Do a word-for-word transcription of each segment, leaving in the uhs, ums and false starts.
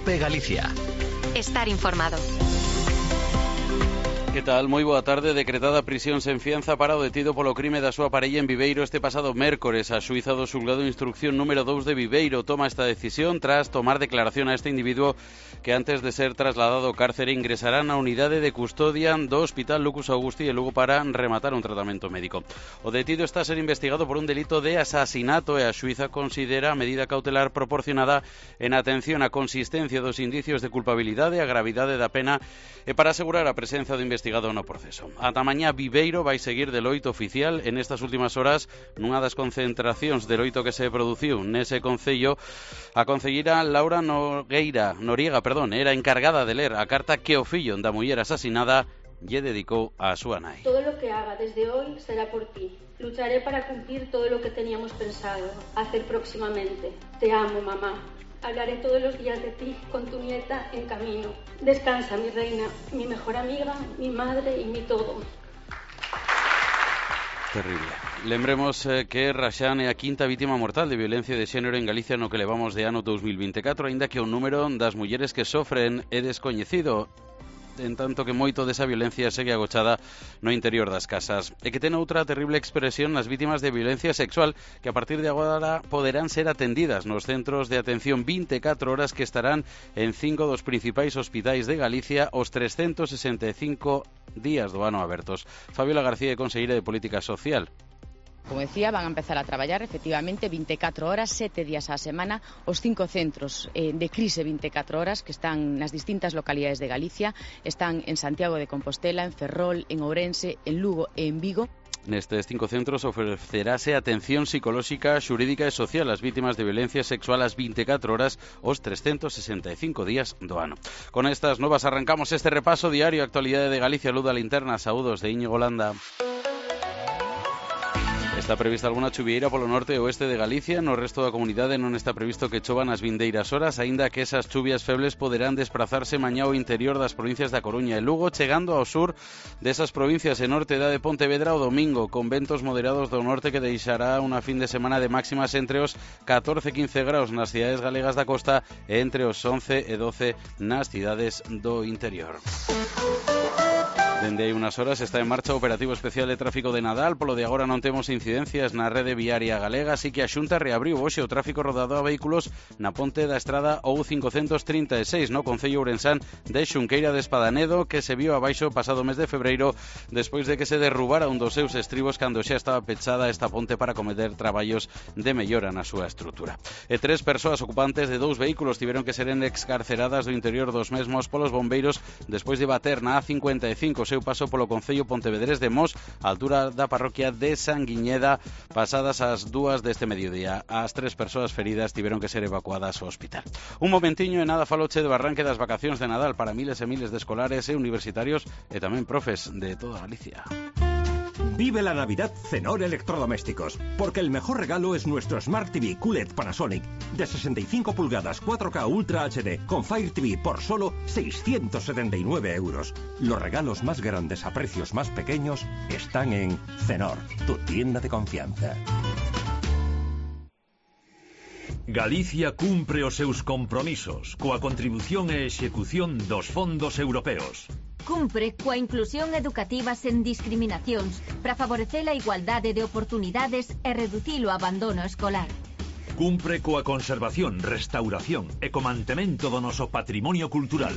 COPE Galicia. Estar informado. Que tal? Moi boa tarde. Decretada prisión sen fianza para o detido polo crime da súa parella en Viveiro este pasado mércores. A xuíza do xulgado instrucción número dous de Viveiro toma esta decisión tras tomar declaración a este individuo que antes de ser trasladado ao cárcere ingresará na unidade de custodia do Hospital Lucus Augusti e Lugo para rematar un tratamento médico. O detido está a ser investigado por un delito de asasinato e a xuíza considera a medida cautelar proporcionada en atención á consistencia dos indicios de culpabilidade, a gravidade da pena e para asegurar a presenza do investigado no proceso. Ata mañá Viveiro vai seguir de loito oficial. En estas últimas horas, nunha das concentracións de loito que se produciu nese concello, a concelleira Laura Nogueira, Noriega, perdón, era encargada de ler a carta que o fillo da muller asasinada lle dedicou a súa nai. Todo lo que haga desde hoy será por ti. Lucharé para cumplir todo lo que teníamos pensado hacer próximamente. Te amo, mamá. Hablaré todos los días de ti con tu nieta en camino. Descansa, mi reina, mi mejor amiga, mi madre y mi todo. Terrible. Lembremos eh, que Raxán é a quinta vítima mortal de violencia de xénero en Galicia no que levamos de ano dos mil veinticuatro, aínda que o número das mulleres que sofren é descoñecido, en tanto que moito desa violencia segue agochada no interior das casas. E que ten outra terrible expresión nas vítimas de violencia sexual que a partir de agora poderán ser atendidas nos centros de atención vinte e catro horas que estarán en cinco dos principais hospitais de Galicia os trescentos sesenta e cinco días do ano abertos. Fabiola García é conselleira de Política Social. Como decía, van a empezar a traballar efectivamente vinte e catro horas, sete días á semana, os cinco centros eh, de crise vinte e catro horas que están nas distintas localidades de Galicia, están en Santiago de Compostela, en Ferrol, en Ourense, en Lugo e en Vigo. Nestes cinco centros ofrecerase atención psicolóxica, xurídica e social ás vítimas de violencia sexual ás vinte e catro horas os trescentos sesenta e cinco días do ano. Con estas novas arrancamos este repaso diario a actualidade de Galicia. Luz da Linterna, saúdos de Íñigo Landa. Está prevista alguna chuvieira polo norte e oeste de Galicia. No resto da comunidade non está previsto que chovan as vindeiras horas, aínda que esas chuvias febles poderán desplazarse mañá ao interior das provincias da Coruña e Lugo, chegando ao sur desas provincias e norte da de Pontevedra o domingo, con ventos moderados do norte que deixará unha fin de semana de máximas entre os catorce e quince graus nas cidades galegas da costa e entre os once e doce nas cidades do interior. Dende hai unhas horas está en marcha o operativo especial de tráfico de Nadal. Polo de agora non temos incidencias na rede viaria galega, así que a Xunta reabriu hoxe o tráfico rodado a vehículos na ponte da estrada O U cincocentos trinta e seis no concello ourensán de Xunqueira de Espadanedo, que se viu abaixo pasado mes de febreiro despois de que se derrubara un dos seus estribos cando xa estaba pechada esta ponte para cometer traballos de mellora na súa estrutura. E tres persoas ocupantes de dous vehículos tiveron que ser excarceradas do interior dos mesmos polos bombeiros despois de bater na A cincuenta e cinco seu paso polo concello pontevedrés de Mos, a altura da parroquia de Sanguiñeda, pasadas as dúas deste mediodía. As tres persoas feridas tiveron que ser evacuadas ao hospital. Un momentiño e nada faloche de barranque das vacacións de Nadal para miles e miles de escolares e universitarios e tamén profes de toda Galicia. Vive la Navidad Cenor Electrodomésticos, porque el mejor regalo es nuestro Smart T V Q L E D Panasonic de sesenta y cinco pulgadas cuatro K Ultra H D con Fire T V por solo seiscientos setenta y nueve euros. Los regalos más grandes a precios más pequeños están en Cenor, tu tienda de confianza. Galicia cumpre os seus compromisos coa contribución e execución dos fondos europeos. Cumpre coa inclusión educativa sen discriminacións para favorecer a igualdade de oportunidades e reducir o abandono escolar. Cumpre coa conservación, restauración e co mantemento do noso patrimonio cultural.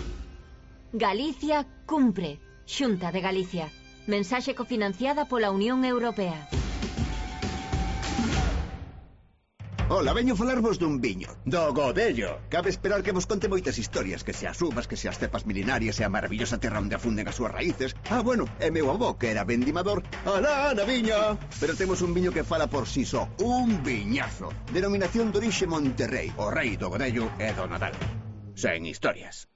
Galicia cumpre. Xunta de Galicia. Mensaxe cofinanciada pola Unión Europea. Ola, veño falarvos dun viño, do Godello. Cabe esperar que vos conte moitas historias, que se as uvas, que se as cepas milenarias e a maravillosa terra onde afunden as súas raíces. Ah, bueno, e meu avó, que era vendimador, alá na viña. Pero temos un viño que fala por si só, un viñazo. Denominación de orixe Monterrey, o rei do Godello e do Nadal. Sen historias.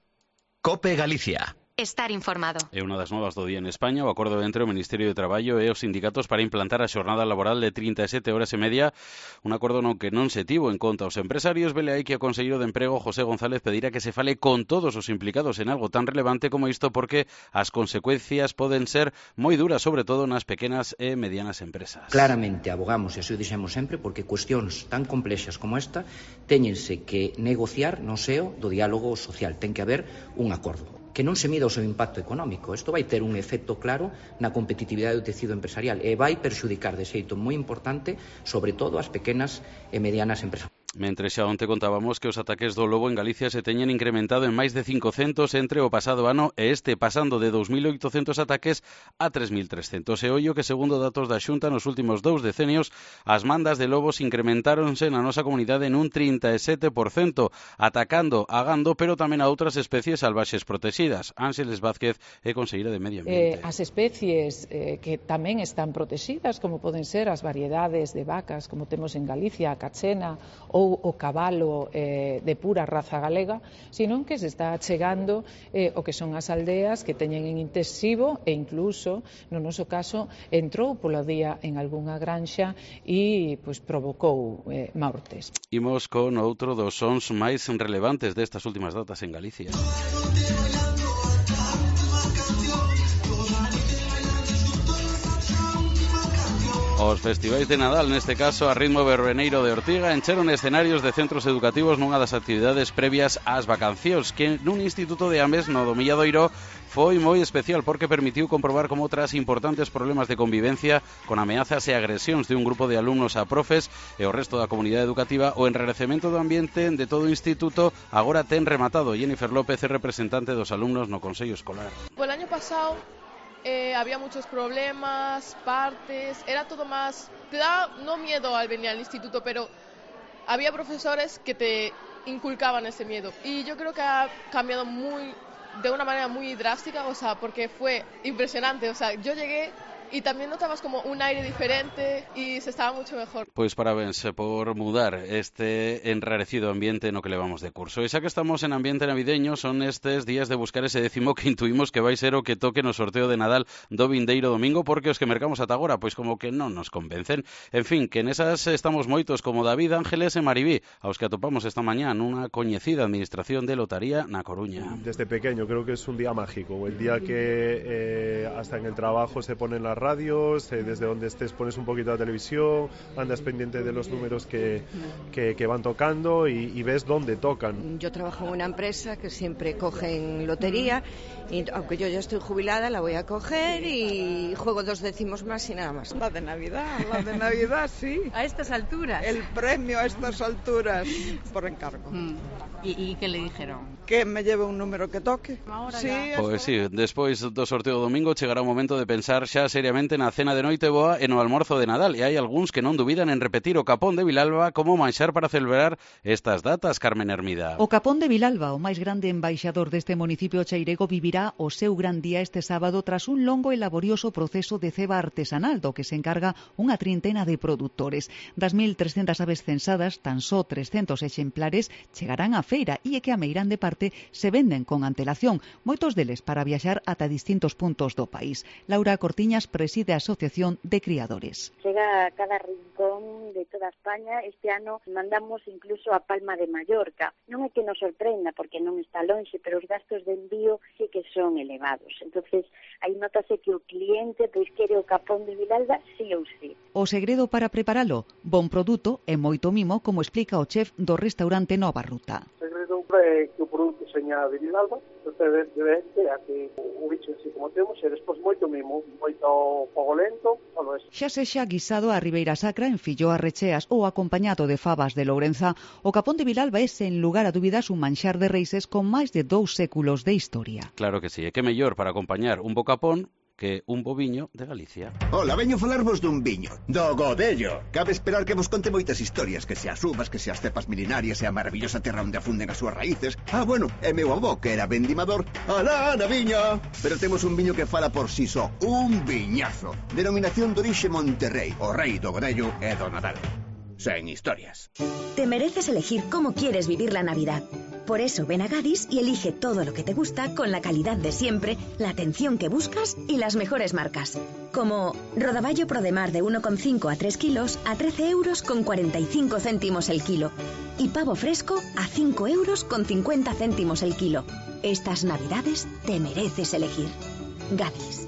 COPE Galicia. estar informado. É unha das novas do día en España, o acordo entre o Ministerio de Traballo e os sindicatos para implantar a xornada laboral de trinta e sete horas e media, un acordo no que non se tivo en conta os empresarios. Vele aí que o conselleiro de Emprego, José González, pedirá que se fale con todos os implicados en algo tan relevante como isto, porque as consecuencias poden ser moi duras, sobre todo nas pequenas e medianas empresas. Claramente abogamos, e así o dixemos sempre, porque cuestións tan complexas como esta téñense que negociar no seo do diálogo social. Ten que haber un acordo que non se mida o seu impacto económico. Isto vai ter un efecto claro na competitividade do tecido empresarial e vai perxudicar de xeito moi importante, sobre todo as pequenas e medianas empresas. Mentre xa onte contábamos que os ataques do lobo en Galicia se teñen incrementado en máis de cincocentos entre o pasado ano e este, pasando de dous mil oitocentos ataques a tres mil trescentos. E ollo que, segundo datos da Xunta, nos últimos dous decenios as mandas de lobos incrementáronse na nosa comunidade en un trinta e sete por cento, atacando a gando, pero tamén a outras especies salvaxes protegidas. Ángeles Vázquez é conselleira de Medio Ambiente. Eh, as especies eh, que tamén están protegidas, como poden ser as variedades de vacas, como temos en Galicia, a cachena ou o cabalo eh, de pura raza galega, sino que se está chegando eh, o que son as aldeas que teñen en intensivo e incluso, no noso caso, entrou polo día en algunha granxa e pues, provocou eh, mortes. Imos con outro dos sons máis relevantes destas últimas datas en Galicia. Os festivais de Nadal, neste caso a ritmo verbeneiro de Ortiga, encheron escenarios de centros educativos nunha das actividades previas ás vacacións, que nun instituto de Ames, no do Milladoiro, foi moi especial porque permitiu comprobar como tras importantes problemas de convivencia con ameazas e agresións de un grupo de alumnos a profes e o resto da comunidade educativa, o enrarecemento do ambiente de todo o instituto agora ten rematado. Jennifer López é representante dos alumnos no Consello Escolar. O año pasado Eh, había muchos problemas, partes, era todo más... Te da no miedo al venir al instituto, pero había profesores que te inculcaban ese miedo. Y yo creo que ha cambiado muy, de una manera muy drástica, o sea, porque fue impresionante. O sea, yo llegué y también notabas como un aire diferente y se estaba mucho mejor. Pois parabéns por mudar este enrarecido ambiente no que levamos de curso. E xa que estamos en ambiente navideño, son estes días de buscar ese décimo que intuimos que vai ser o que toque no sorteo de Nadal do vindeiro domingo, porque os que mercamos ata agora, pois como que non nos convencen. En fin, que nesas estamos moitos como David, Ángeles e Maribí, aos que atopamos esta mañá nunha coñecida administración de lotaría na Coruña. Desde pequeño creo que es un día mágico, el día que eh, hasta en el trabajo se ponen las radios, eh, desde donde estés pones un poquito la televisión, andas pendiente de los números que, que, que van tocando y, y ves dónde tocan. Yo trabajo en una empresa que siempre cogen lotería y aunque yo ya estoy jubilada la voy a coger y juego dos décimos más y nada más. La de Navidad, la de Navidad, sí. ¿A estas alturas? El premio a estas alturas por encargo. Mm. ¿Y, ¿Y qué le dijeron? Que me lleve un número que toque. Ahora sí, Pois sí, despois do sorteo domingo chegará o momento de pensar xa seriamente na cena de noite boa e no almorzo de Nadal, e hai algúns que non dubidan en repetir o capón de Vilalba como manxar para celebrar estas datas, Carmen Hermida. O capón de Vilalba, o máis grande embaixador deste municipio cheirego, vivirá o seu gran día este sábado tras un longo e laborioso proceso de ceba artesanal do que se encarga unha trintena de produtores. Das mil trescentas aves censadas, tan só trescentos exemplares chegarán á feira e é que a meirande parte se venden con antelación, moitos deles para viaxar ata distintos puntos do país. Laura Cortiñas preside a Asociación de Criadores. Chega a cada rincón de toda España. Este ano mandamos incluso a Palma de Mallorca. Non é que nos sorprenda porque non está lonxe, pero os gastos de envío sí que son elevados. Entonces, aí notase que o cliente pois quere o capón de Vilalba sí ou sí. O segredo para preparalo, bon produto e moito mimo, como explica o chef do restaurante Nova Ruta. O segredo é que o produto seña de Vilalba, debe de a que o bicho así como temos, e despois moito mimo, moito fogo lento, todo eso. Xa sexa guisado a Ribeira Sacra en filloas recheas ou acompañado de fabas de Lourenza, o capón de Vilalba é, sen lugar a dúbidas, un manxar de reises con máis de dous séculos de historia. Claro que sí, e que mellor para acompañar un bo capón que un boviño de Galicia. Hola, veño falarvos dun viño, do Godello. Cabe esperar que vos conte moitas historias, que se as uvas, que se as cepas milenarias e a maravillosa terra onde afunden as súas raíces. Ah, bueno, e meu avó, que era vendimador, alá na viña. Pero temos un viño que fala por si só, un viñazo. Denominación de orixe Monterrey, o rei do Godello e do Nadal. Sen historias. Te mereces elegir cómo quieres vivir la Navidad. Por eso ven a Gadis y elige todo lo que te gusta con la calidad de siempre, la atención que buscas y las mejores marcas. Como rodaballo Prodemar de uno coma cinco a tres kilos a trece euros con cuarenta y cinco céntimos el kilo. Y pavo fresco a cinco euros con cincuenta céntimos el kilo. Estas navidades te mereces elegir. Gadis.